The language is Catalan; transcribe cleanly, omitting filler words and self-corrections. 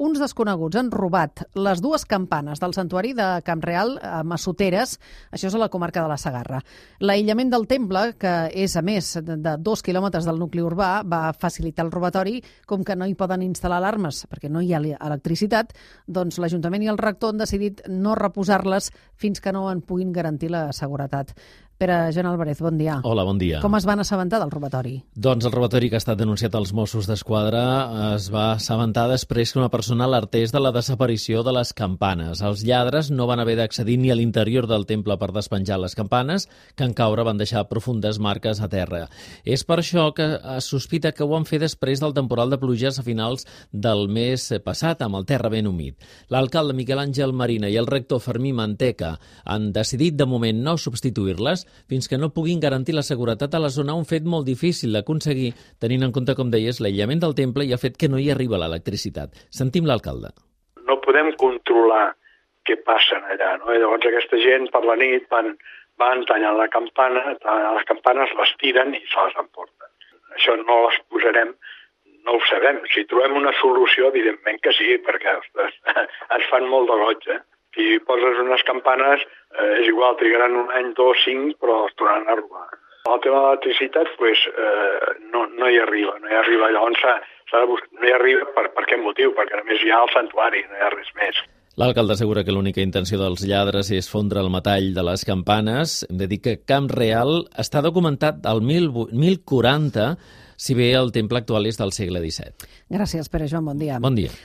uns desconeguts han robat les dues campanes del santuari de Camp Real a Massoteres, això és a la comarca de la Segarra. L'aïllament del temple, que és a més de 2 quilòmetres del nucli urbà, va facilitar el robatori. Com que no hi poden instal·lar alarmes perquè no hi ha electricitat, doncs l'Ajuntament i el rector han decidit no reposar-les fins que no en puguin garantir la seguretat. Pere Joan Álvarez, bon dia. Hola, bon dia. Com es van assabentar del robatori? Doncs el robatori que ha estat denunciat als Mossos d'Esquadra es va assabentar després que una persona alertés de la desaparició de les campanes. Els lladres no van haver d'accedir ni a l'interior del temple per despenjar les campanes, que en caure van deixar profundes marques a terra. És per això que es sospita que ho van fer després del temporal de pluges a finals del mes passat, amb el terra ben humit. L'alcalde Miquel Àngel Marina i el rector Fermí Manteca han decidit de moment no substituir-les fins que no puguin garantir la seguretat a la zona, un fet molt difícil d'aconseguir, tenint en compte, com deies, l'aïllament del temple i el fet que no hi arriba l'electricitat. Sentim l'alcalde. No podem controlar què passa allà, no? I llavors aquesta gent per la nit van tallant la campana, les campanes les tiren i se les emporten. Això no les posarem, no ho sabem. Si trobem una solució, evidentment que sí, perquè ostres, ens fan molt de goig, Si poses unes campanes, és igual, trigaran 1 any, 2, 5, però es tornaran a robar. El tema de l'electricitat, no hi arriba. Llavors no hi arriba per què motiu? Perquè només hi ha el santuari, no hi ha res més. L'alcalde assegura que l'única intenció dels lladres és fondre el metall de les campanes. Hem de dir que Camp Real està documentat al 1040, si bé el temple actual és del segle XVII. Gràcies, Pere Joan, bon dia. Bon dia.